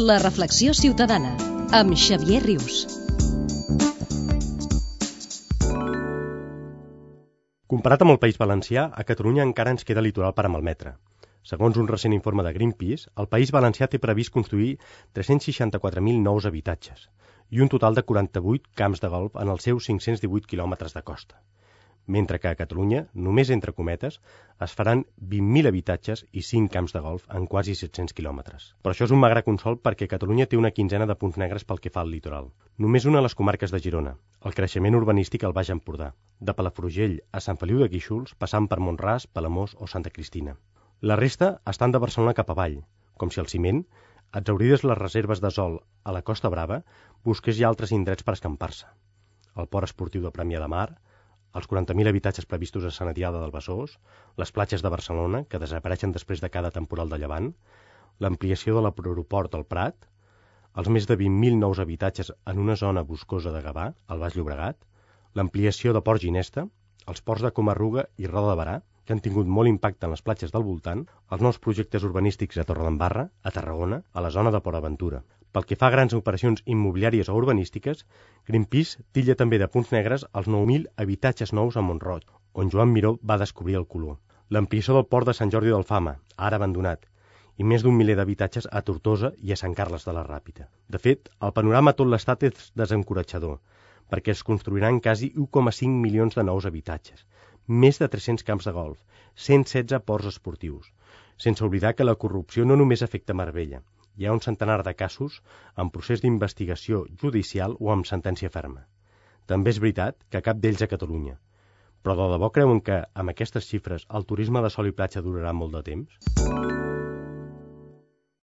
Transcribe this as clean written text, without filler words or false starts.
La reflexió ciutadana, amb Xavier Rius. Comparat amb el País Valencià, a Catalunya encara ens queda litoral per a malmetre. Segons un recent informe de Greenpeace, el País Valencià té previst construir 364.000 nous habitatges i un total de 48 camps de golf en els seus 518 quilòmetres de costa. Mentre que a Catalunya, només entre cometes, es faran 20.000 habitatges i 5 camps de golf en quasi 700 quilòmetres. Però això és un magre consol perquè Catalunya té una quinzena de punts negres pel que fa al litoral. Només una a les comarques de Girona, el creixement urbanístic al Baix Empordà, de Palafrugell a Sant Feliu de Guíxols, passant per Mont-ras, Palamós o Santa Cristina. La resta estan de Barcelona cap avall, com si el ciment, exhaurides les reserves de sòl a la Costa Brava, busqués ja altres indrets per escampar-se. El port esportiu de Premià de Mar, els 40.000 habitatges previstos a Sant Adrià del Besòs, les platges de Barcelona, que desapareixen després de cada temporal de llevant, l'ampliació de l'aeroport del Prat, els més de 20.000 nous habitatges en una zona boscosa de Gavà, al Baix Llobregat, l'ampliació de Port Ginesta, els ports de Comarruga i Roda de Barà, que han tingut molt impacte en les platges del voltant, els nous projectes urbanístics a Torredembarra, a Tarragona, a la zona de Port Aventura. Pel que fa a grans operacions immobiliàries o urbanístiques, Greenpeace titlla també de punts negres els 9.000 habitatges nous a Mont-roig, on Joan Miró va descobrir el color. L'ampliació del port de Sant Jordi d'Alfama, ara abandonat, i més d'un miler d'habitatges a Tortosa i a Sant Carles de la Ràpita. De fet, el panorama a tot l'estat és desencoratjador, perquè es construiran quasi 1,5 milions de nous habitatges, més de 300 camps de golf, 116 ports esportius, sense oblidar que la corrupció no només afecta Marbella. Hi ha un centenar de casos en procés d'investigació judicial o amb sentència ferma. També és veritat que cap d'ells a Catalunya. Però de debò creuen que, amb aquestes xifres, el turisme de sol i platja durarà molt de temps?